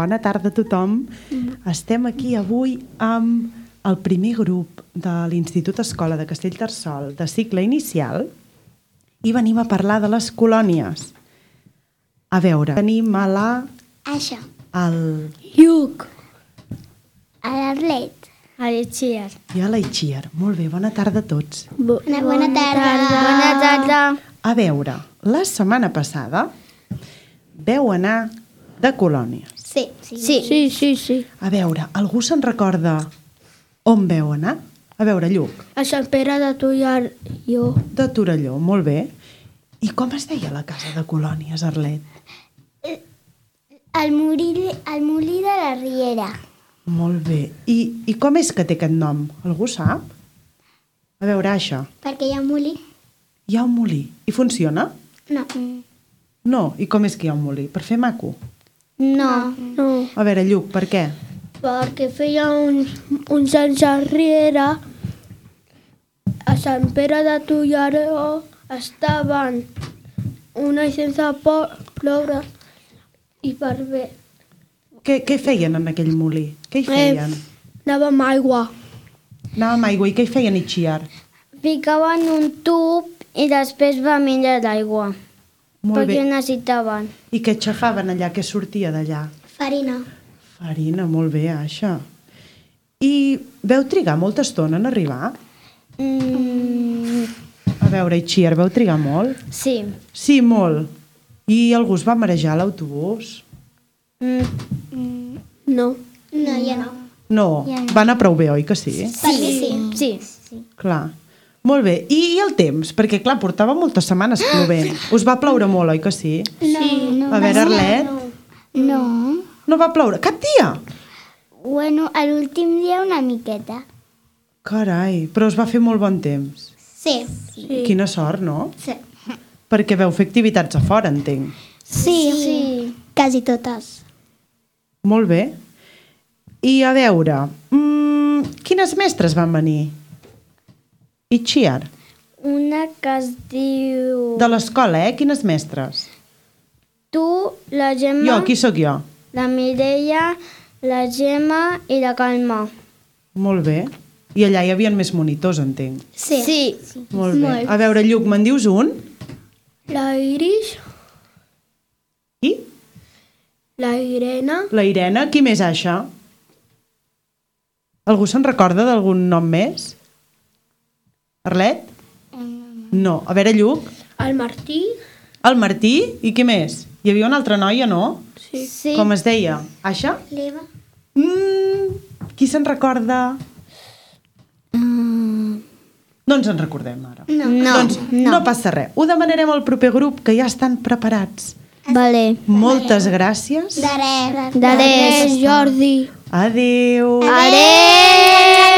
Bona tarda a tothom. Estem aquí avui amb el primer grup de l'Institut Escola de Castellterçol de cicle inicial i venim a parlar de les colònies. A veure, tenim a la... Això. al Lluc. A l'Arlet. A l'Itxiar. i a la Itxiar. Molt bé, bona tarda a tots. Bona tarda. Bona tarda. A veure, la setmana passada veu anar de colònies. Sí. Sí. A veure, algú se'n recorda on veu anar? A veure, Lluc. A Sant Pere de Torelló. De Torelló, molt bé. I com es deia la casa de colònies, Arlet? El molí de la Riera. Molt bé. I com és que té aquest nom? Algú sap? A veure, això. Perquè hi ha un molí? Hi ha un molí. I funciona? No. No. I com és que hi ha un molí? Per fer maco? No. A veure, Lluc, per què? Perquè feia uns anys enrere a Sant Pere de Torelló estaven un any sense ploure i per bé. Què feien en aquell molí? Què hi feien? Anàvem amb aigua. Anàvem amb aigua. I què hi feien a Itxiar? Ficaven un tub i després va menjar l'aigua. Molt bé. necessitaven. I què aixafaven allà? Què sortia d'allà? Farina. Farina, molt bé, això. I veu trigar molta estona en arribar? A veure, Itxiar, veu trigar molt? Sí. Sí, molt. I algú es va marejar a l'autobús? No. No, ja no. No, va anar prou bé, oi que sí? Sí. Clar. Molt bé. I el temps? Perquè, clar, portava moltes setmanes plovent. Us va ploure molt, oi que sí? No. A veure, Arlet, No. no va ploure cap dia? Bueno, a l'últim dia una miqueta. Carai, però us va fer molt bon temps. Sí. Quina sort, no? Sí. Perquè veu fer activitats a fora, entenc. Sí. Quasi totes. Molt bé. I a veure, quines mestres van venir? Itxiar. Una que es diu... De l'escola, Quines mestres? Tu, la Gemma, Jo, qui sóc jo? la Mireia, la Gemma i la Calma. Molt bé. I allà hi havia més monitors, entenc. Sí. Molt bé. A veure, Lluc, me'n dius un? La Iris, I? la Irene, La Irene. Qui més, això? Algú se'n recorda d'algun nom més? Arlet? No. A veure, Lluc. el Martí. El Martí. I qui més? Hi havia una altra noia, no? Sí. Com es deia? Aixa? L'Eva. Qui se'n recorda? No ens en recordem ara. Doncs no passa res. Ho demanarem al proper grup, que ja estan preparats. Vale. Moltes gràcies. De res. De res, Jordi. Adéu. Adéu.